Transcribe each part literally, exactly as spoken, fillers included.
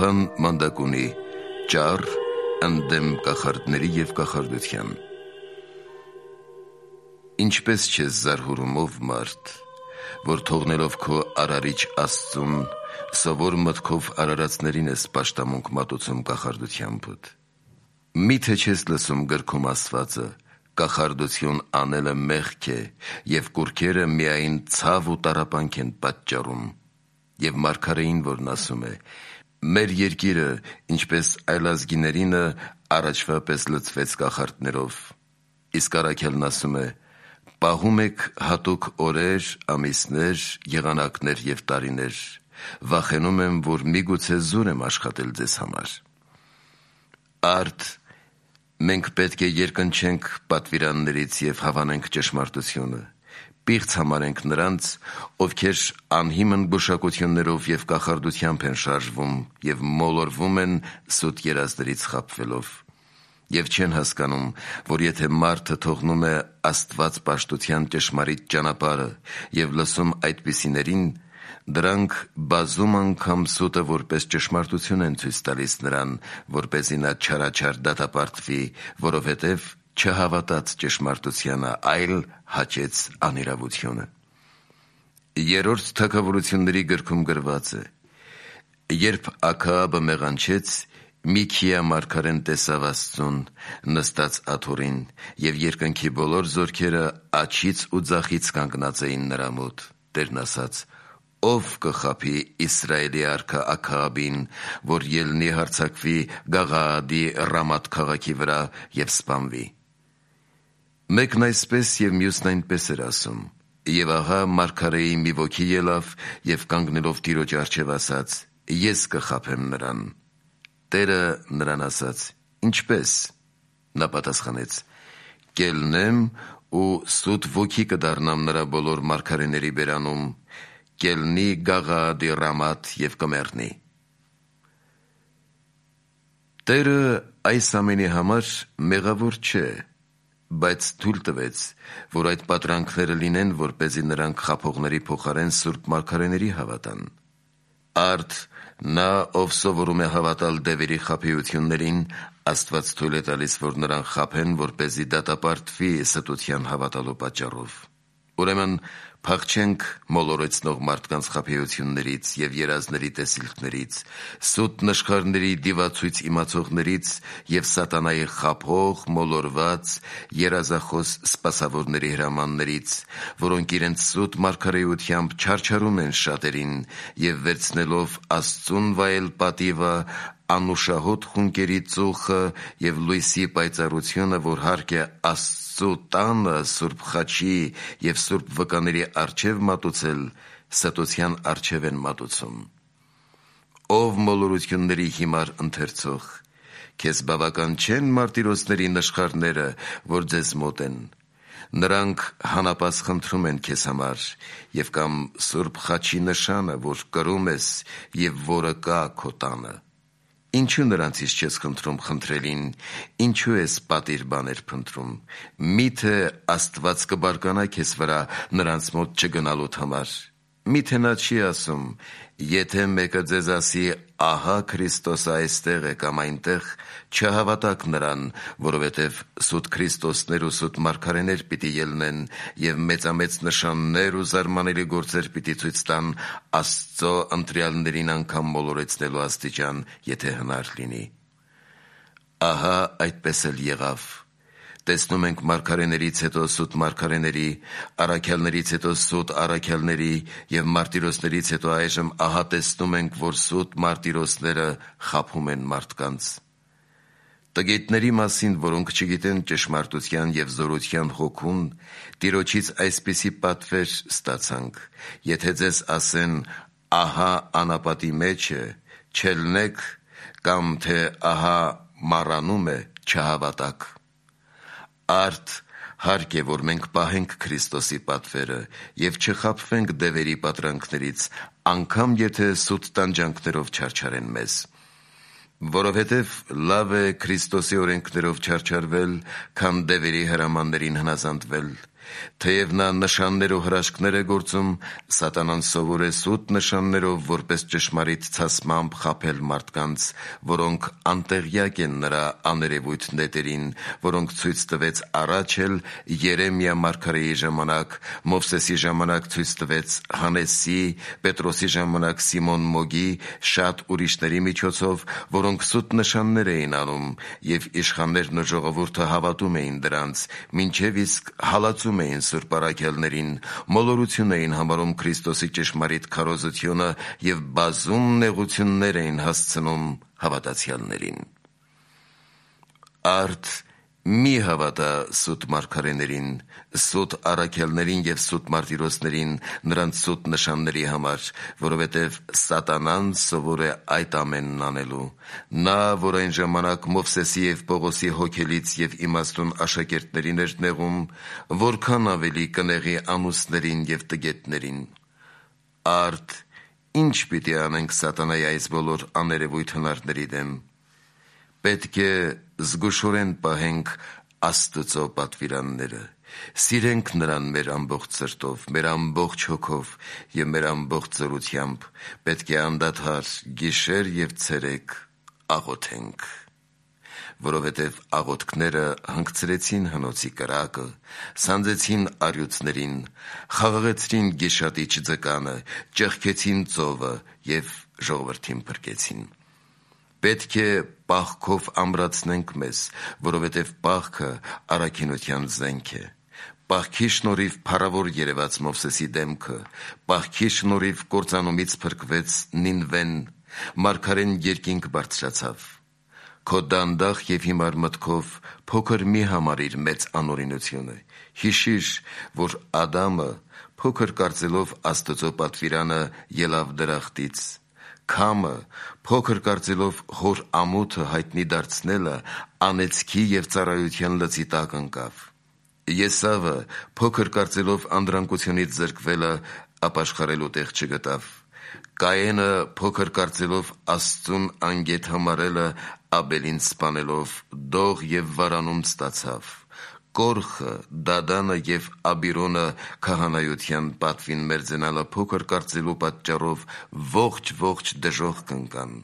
Գաղափան մանդակունի, ճառ, ընդդեմ կախարդների և կախարդության։ Ինչպես չես զարհուրում ով մարդ, որ թողնելով քո արարիչ Աստծուն, սովոր մտքով արարածներին ես պաշտամունք մատուցում կախարդությանբդ։ Միթե չես լսում գրքում ասվածը, կախարդություն անելը մեղք է, և կուռքերը միայն ցավ ու տառապանք են պատճառում։ Եվ մարգարեին, որն ասում է. մեր երկիրը, ինչպես այլազգիներինը, առաջվա պես լցվեց կախարդներով։ Իսկ առաքյալն ասում է. պահում եք հատուկ օրեր, ամիսներ, եղանակներ և տարիներ, վախենում եմ, որ միգուցե զուր եմ աշխատել ձեզ համար։ Արդ, մենք պետք է երկնչենք պատվիրաններից և հավանենք ճշմարտությունը, պիղծ համարենք նրանց, ովքեր անհիմն գուշակություններով և կախարդությամբ են շարժվում և մոլորվում են սուտ երազներից խաբվելով, և չեն հասկանում, որ եթե մարդը թողնում է Աստված պաշտության ճշմարիտ ճանապարհը և լսում այդպիսիներին, դրանք բազում անգամ սուտը որպես ճշմարտություն են ցույց տալիս նրան, որպեսզի նա չարաչար դատապարտվի, որովհետև չհավատաց ճշմարտությանը, այլ հաճեց անիրավությունը։ Երրորդ Թագավորությունների գրքում գրված է. երբ Աքաաբը մեղանչեց, Միքիա մարգարեն տեսավ Աստծուն նստած աթոռին, և երկնքի բոլոր զորքերը աջից ու ձախից կանգնած էին նրա մոտ։ Տերն ասաց. ով կխաբի Իսրայելի արքա Աքաաբին, որ ելնի հարձակվի Գաղաադի Ռամաթ քաղաքի վրա և սպանվի։ Մեկն այսպես և մյուսն այնպես էր ասում։ Եվ ահա մարգարեի մի ոգի ելավ և կանգնելով Տիրոջ առջև ասաց. ես կխաբեմ նրան։ Տերը նրան ասաց. ինչպե՞ս։ Նա պատասխանեց. կելնեմ ու սուտ ոգի կդառնամ նրա բոլոր մարգարեների բերանում, կելնի Գաղաադի Ռամաթ և կմեռնի։ Տերը այս ամենի համար մեղավոր չէ, բայց թույլ տվեց, որ այդ պատրանքները լինեն, որպեսզի նրանք խաբողների փոխարեն սուրբ մարգարեների հավատան։ Արդ, նա, ով սովորում է հավատալ դևերի խաբեություններին, Աստված թույլ է տալիս, որ նրան խաբեն, որպեսզի դատապարտվի ստության հավատալու պատճառով։ Ուրեմն փախչենք մոլորեցնող մարդկանց խաբեություններից և երազների տեսիլքներից, սուտ նշխարների դիվացույց իմացողներից և սատանայի խաբող, մոլորված, երազախոս սպասավորների հրամաններից, որոնք իրենց սուտ մարգարեությամբ չարչարում են շատերին և վերցնելով Աստծուն վայել պատիվը, անուշահոտ խունկերի ծուխը և լույսի պայծառությունը, որ հարկ է Աստծու տանը սուրբ խաչի և սուրբ վկաների առջև մատուցել, ստության առջև են մատուցում։ Ով մոլորությունների հիմար ընթերցող, քեզ բավական չե՞ն մարտիրոսների նշխարները, որ ձեզ մոտ են։ Նրանք հանապազ խնդրում են քեզ համար, և կամ սուրբ խաչի նշանը, որ կրում ես և որը կա քո տանը։ Ինչու նրանցից չես խնդրում խնդրելին, ինչու ես պատիվ բաներ փնտրում։ Միթե Աստված կբարկանա քեզ վրա նրանց մոտ չգնալուդ համար։ Միթե նա չի ասում. եթե մեկը ձեզ ասի. ահա Քրիստոսը այստեղ է կամ այնտեղ, չհավատաք նրան, որովհետև սուտ քրիստոսներ ու սուտ մարգարեներ պիտի ելնեն և մեծամեծ նշաններ ու զարմանալի գործեր պիտի ցույց տան Աստծո ընտրյալներին անգամ մոլորեցնելու աստիճան, եթե հնար լինի։ Ահա այդպես էլ եղավ։ Տեսնում ենք մարգարեներից հետո սուտ մարգարեների, առաքյալներից հետո սուտ առաքյալների և մարտիրոսներից հետո այժմ ահա տեսնում ենք, որ սուտ մարտիրոսները խաբում են մարդկանց։ Տգիտների մասին, որոնք չգիտեն ճշմարտության և զորության հոգուն, Տիրոջից այսպիսի պատվեր ստացանք. եթե ձեզ ասեն. ահա անապատի մեջ է, չելնեք, կամ թե ահա մառանում է, չհավատաք։ Արդ, հարկ է, որ մենք պահենք Քրիստոսի պատվերը և չխաբվենք դևերի պատրանքներից, անգամ եթե սուտ տանջանքներով չարչարեն մեզ։ Որովհետև լավ է Քրիստոսի օրենքներով չարչարվել, քան դևերի հրամաններին հնազանդվել, Թեև նա նշաններով հրաշքներ է գործում, սատանան սովոր է սուտ նշաններով որպես ճշմարիտ ցասմամբ խաբել մարդկանց, որոնք անտեղյակ են նրա աներևույթ նետերին, որոնք ցույց տվեց առաջ էլ Երեմիա մարգարեի ժամանակ, Մովսեսի ժամանակ ցույց տվեց Հանեսի, Պետրոսի ժամանակ Սիմոն Մոգի, շատ ուրիշների միջոցով, որոնք սուտ նշաններ էին անում, եւ իշխաններն ու ժողովուրդը հավատում էին դրանց, մինչև իսկ հալածում էին սուրբ առաքյալներին, մոլորություն էին համարում Քրիստոսի ճշմարիտ քարոզությունը եւ բազում նեղություններ էին հասցնում հավատացյալներին։ Արդ մի հավատա սուտ մարգարեներին, սուտ առաքյալներին եւ սուտ մարտիրոսներին նրանց սուտ նշանների համար, որովհետեւ սատանան սովոր է այդ ամենն անելու։ Նա, որ այն ժամանակ Մովսեսի եւ Պողոսի հոգելից եւ իմաստուն աշակերտներին էր նեղում, որքան ավելի կնեղի ամուսներին եւ տգետներին։ Արդ ինչ պիտի անենք սատանայի այս բոլոր աներևույթ հնարների դեմ։ Պետք է զգուշորեն պահենք Աստծո պատվիրանները, սիրենք նրան մեր ամբողջ սրտով, մեր ամբողջ հոգով եւ մեր ամբողջ զորությամբ, պետք է անդադար գիշեր եւ ցերեկ աղոթենք, որովհետեւ աղոթքները հանգցրեցին հնոցի կրակը, սանձեցին առյուծներին, խաղաղեցրին գիշատիչ ձկանը, ճեղքեցին ծովը եւ ժողովրդին փրկեցին։ Պետք է պահքով ամրացնենք մեզ, որովհետև պահքը առաքինության զենք է։ Պահքի շնորհիվ փառավոր երևաց Մովսեսի դեմքը, պահքի շնորհիվ կործանումից փրկվեց Նինվեն, մարգարեն երկինք բարձրացավ։ Քո դանդաղ եւ հիմար մտքով փոքր մի համարիր մեծ անօրինությունը։ Հիշիր, որ Ադամը փոքր կարծելով Աստծո պատվիրանը ելավ դրախտից։ Քամը փոքր կարծելով հոր ամոթը հայտնի դարձնելը անեծքի եւ ծառայության լծի տակ ընկավ։ Եսավը փոքր կարծելով անդրանկությունից զրկվելը ապաշխարելու տեղ չգտավ։ Կայենը փոքր կարծելով Աստծուն անգետ համարելը Աբելին սպանելով դող եւ վարանում ստացավ։ Կորխը, Դադանը եւ Աբիրոնը քահանայության պատվին մերձենալը փոքր կարծելու պատճառով ողջ-ողջ դժոխք կընկան։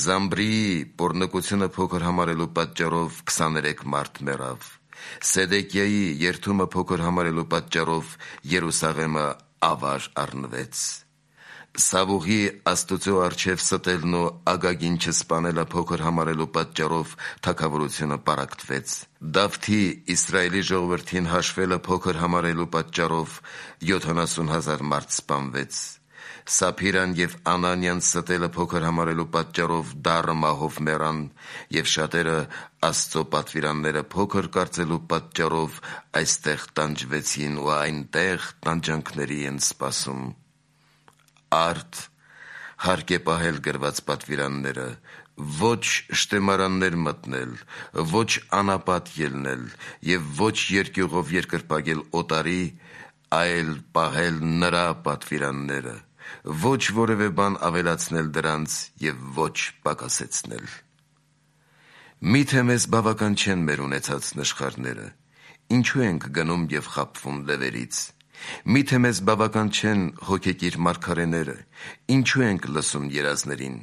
Զամբրի պոռնկությունը փոքր համարելու պատճառով քսաներեք մարդ մեռավ։ Սեդեկիայի երթումը փոքր համարելու պատճառով Երուսաղեմը ավար առնվեց։ Սավուղի Աստծո առջև ստելն ու Ագագին չսպանելը փոքր համարելու պատճառով թագավորությունը պարակտվեց։ Դավթի Իսրայելի ժողովրդին հաշվելը փոքր համարելու պատճառով յոթանասուն հազար մարդ սպանվեց։ Սափիրան եւ Անանյան ստելը փոքր համարելու պատճառով դառը մահով մեռան, եւ շատերը Աստծո պատվիրանները փոքր կարծելու պատճառով այստեղ տանջվեցին ու այնտեղ տանջանքների են սպասում։ Արդ հարկ է պահել գրված պատվիրանները, ոչ շտեմարաններ մտնել, ոչ անապատ ելնել եւ ոչ երկյուղով երկրպագել օտարի, այլ պահել նրա պատվիրանները, ոչ որևէ բան ավելացնել դրանց եւ ոչ պակասեցնել։ Միթե մեզ բավական չեն մեր ունեցած նշխարները, ինչու ենք գնում եւ խաբվում լեվերից։ Միթե մեզ բավական չեն հոգեկիր մարգարեները, ինչու ենք լսում երազներին։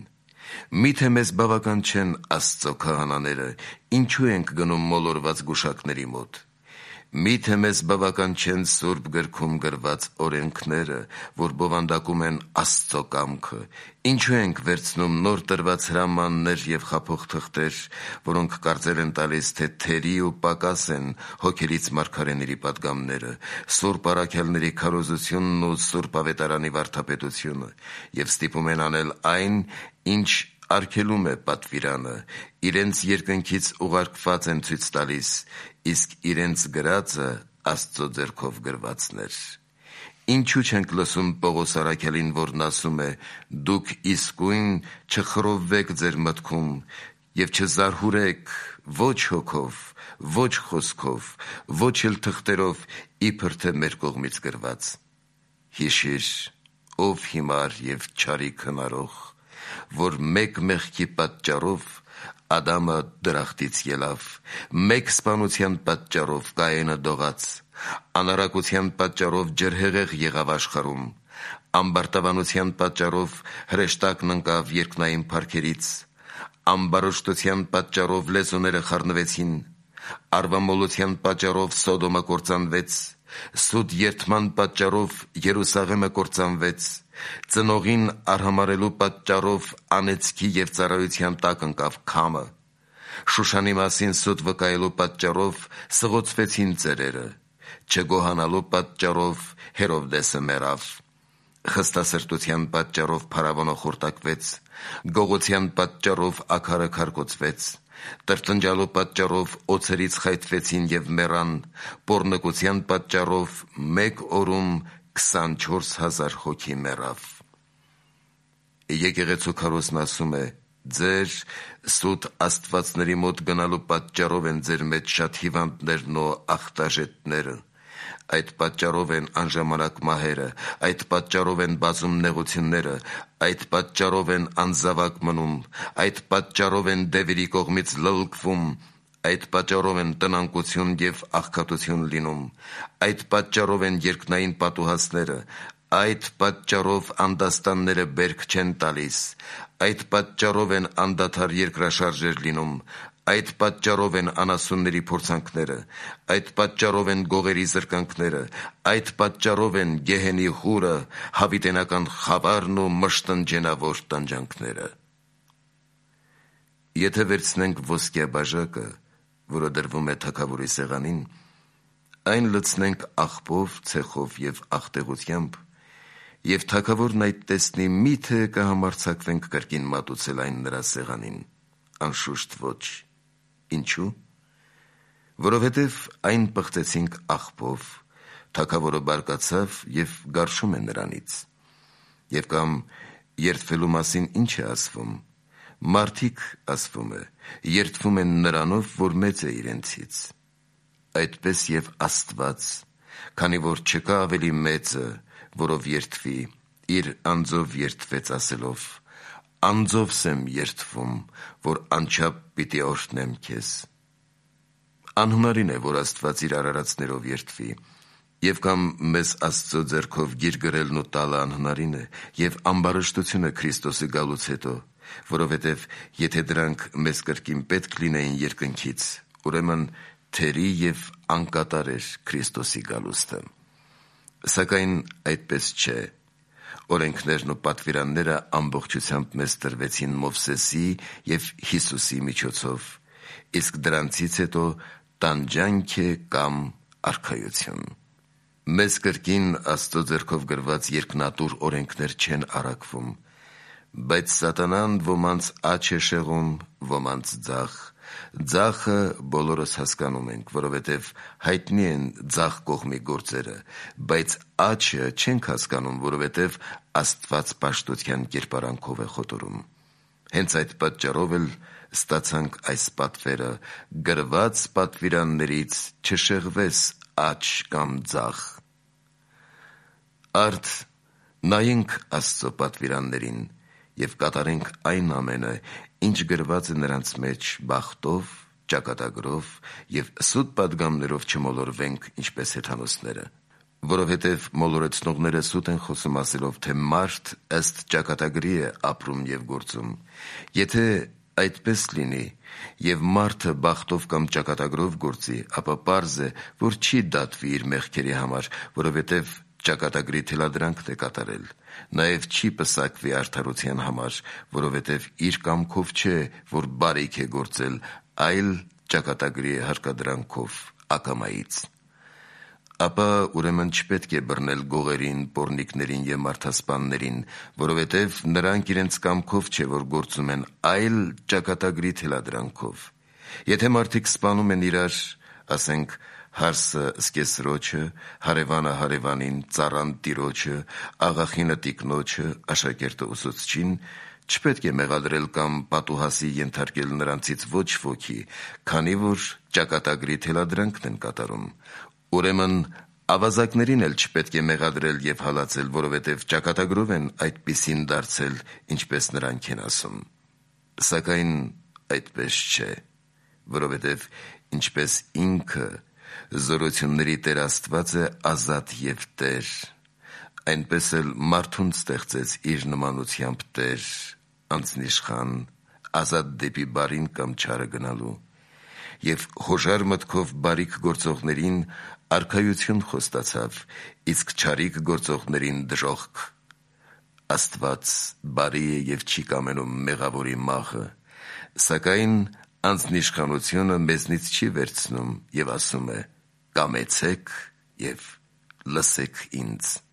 Միթե մեզ բավական չեն Աստծո քահանաները, ինչու ենք գնում մոլորված գուշակների մոտ։ Միթե մեզ բավական չեն Սուրբ գրքում գրված օրենքները, որ բովանդակում են Աստծո կամքը, ինչու ենք վերցնում նոր տրված հրամաններ եւ խափող թղթեր, որոնք կարծել են տալիս, թե թերի ու պակաս են հոգելից մարգարեների պատգամները, սուրբ առաքյալների քարոզությունն ու սուրբ ավետարանի վարդապետությունը, եւ ստիպում են անել այն, ինչ արգելում է պատվիրանը, իրենց երկնքից ուղարկված են ցույց տալիս, իսկ իրենց գրածը Աստծո ձեռքով գրվածներ։ Ինչու չենք լսում Պողոս առաքյալին, որն ասում է. «Դուք իսկույն չխռովվեք ձեր մտքում եւ չզարհուրեք ոչ հոգով, ոչ խոսքով, ոչ էլ թղթերով, իբր թե մեր կողմից գրված»։ Հիշիր, ով հիմար եւ չարիք հնարող, որ մեկ մեղքի պատճառով Ադամը դրախտից ելավ, մեկ սպանության պատճառով Կայենը դողաց, Անառակության պատճառով ջրհեղեղ եղավ աշխարհում, ամբարտավանության պատճառով հրեշտակն ընկավ երկնային փառքերից, ամբարոշտության պատճառով լեզուները խառնվեցին, արվամոլության պատճառով Սոդոմը կործանվեց, սուտ երդման պատճառով Երուսաղեմը կործանվեց, ծնողին արհամարելու պատճառով անեծքի և ծառայության տակ ընկավ Քամը, Շուշանի մասին սուտ վկայելու պատճառով սղոցվեցին ծերերը, չգոհանալու պատճառով Հերովդեսը մեռավ, խստասրտության պատճառով Փարավոնը խորտակվեց, գողության պատճառով Աքարը քարկոծվեց, տրտնջալու պատճառով օձերից խայթվեցին և մեռան, պոռնկության պատճառով մեկ օրում քսանչորս հազար հոգի մեռավ։ Եկեղեցու քարոզն ասում է. ձեր սուտ աստվածների մոտ գնալու պատճառով են ձեր մեջ շատ հիվանդներն ու ախտաժետները, այդ պատճառով են անժամանակ մահերը, այդ պատճառով են բազում նեղությունները, այդ պատճառով են անզավակ մնում, այդ պատճառով են դևերի կողմից լլկվում, այդ պատճառով են տնանկություն և աղքատություն լինում, այդ պատճառով են երկնային պատուհասները, այդ պատճառով անդաստանները բերք չեն տալիս, այդ պատճառով են անդադար երկրաշարժեր լինում, այդ պատճառով են անասունների փորձանքները, այդ պատճառով են գողերի զրկանքները, այդ պատճառով են գեհենի խուրը, հավիտենական խավարն ու մշտնջենավոր տանջանքները։ Եթե վերցնենք ոսկյա բաժակը, որը դրվում է թագավորի սեղանին, այն լցնենք աղբով, ցեխով և աղտեղությամբ, և թագավորն այդ տեսնի, մի՞թե կհամարձակվենք կրկին մատուցել այն նրա սեղանին, անշուշտ ոչ։ Ինչու՞։ Որովհետև այն պղծեցինք աղբով, թագավորը բարկացավ և գարշում է նրանից։ Եվ կամ երդվելու մասին ինչ է ասվում, մարդիկ, ասվում է, երդվում են նրանով, որ մեծ է իրենցից։ Այդպես և Աստված, քանի որ չկա ավելի մեծը, որով երդվի, իր անձով երդվեց ասելով. «Անձովս եմ երդվում, որ անչափ պիտի օրհնեմ քեզ»։ Անհնարին է, որ Աստված իր արարածներով երդվի, և կամ մեզ Աստծո ձեռքով գիր գրելն ու տալը անհնարին է, և ամբարշտությունը Քրիստոսի գալուց հետո, որովհետև եթե դրանք մեզ կրկին պետք լինեին երկնքից, ուրեմն թերի և անկատար էր Քրիստոսի գալուստը։ Սակայն այդպես չէ։ Օրենքներն ու պատվիրանները ամբողջությամբ մեզ տրվեցին Մովսեսի և Հիսուսի միջոցով, իսկ դրանցից հետո տանջանք է կամ արքայություն։ Մեզ կրկին Աստծո ձեռքով գրված երկնատուր օրենքներ չեն առաքվում, բայց սատանան ոմանց աջ է շեղում, ոմանց ձախ։ Ձախը բոլորս հասկանում ենք, որովհետև հայտնի են ձախ կողմի գործերը, բայց աջը չենք հասկանում, որովհետև Աստված պաշտության կերպարանքով է խոտորում։ Հենց այդ պատճառով էլ ստացանք այս պատվերը. գրված պատվիրաններից չշեղվես աջ կամ ձախ։ Արդ նայենք Աստծո պատվիրաններին և կատարենք այն ամենը, ինչ գրված է նրանց մեջ բախտով, ճակատագրով և սուտ պատգամներով չմոլորվենք, ինչպես հեթանոսները։ Որովհետև մոլորեցնողները սուտ են խոսում ասելով, թե մարդ ըստ ճակատագրի է ապրում և գործում։ Եթե այդպես լինի, և մարդը բախտով կամ ճակատագրով գործի, ապա պարզ է, որ չի դատվի իր մեղքերի համար, որովհետև ճակատագրի թելադրանքն է կատարել։ Նաև չի պսակվի արդարության համար, որովհետև իր կամքով չէ, որ բարիք է գործել, այլ ճակատագրի հարկադրանքով ակամայից։ Ապա ուրեմն չպետք է բռնել գողերին, պոռնիկներին և մարդասպաններին, որովհետև նրանք իրենց կամքով չէ, որ գործում են, այլ ճակատագրի թելադրանքով։ Եթե մարդիկ սպանում են իրար, ասենք, հարսը զկեսրոջը, հարևանը հարևանին, ծառան տիրոջը, աղախինը տիկնոջը, աշակերտը ուսուցչին, չպետք է մեղադրել կամ պատուհասի ենթարկել նրանցից ոչ ոքի, քանի որ ճակատագրի թելադրանքն են կատարում։ Ուրեմն ավազակներին էլ չպետք է մեղադրել և հալածել, որովհետև ճակատագրով են այդպիսին դարձել, ինչպես նրանք են ասում։ Սակայն այդպես չէ, որովհետև ինչպես ինքը Զորությունների Տեր Աստվածը ազատ եւ Տեր, այնպես էլ մարդուն ստեղծեց իր նմանությամբ Տեր, անձնիշխան, ազատ դեպի բարին կամ չարը գնալու, եւ հոժար մտքով բարիք գործողներին արքայություն խոստացավ, իսկ չարիք գործողներին դժոխք։ Աստված բարի է եւ չի կամենում մեղավորի մահը, սակայն անձնիշխանությունը մեզնից չի վերցնում եւ ասում է. «Կամեցեք եւ լսեք ինձ»։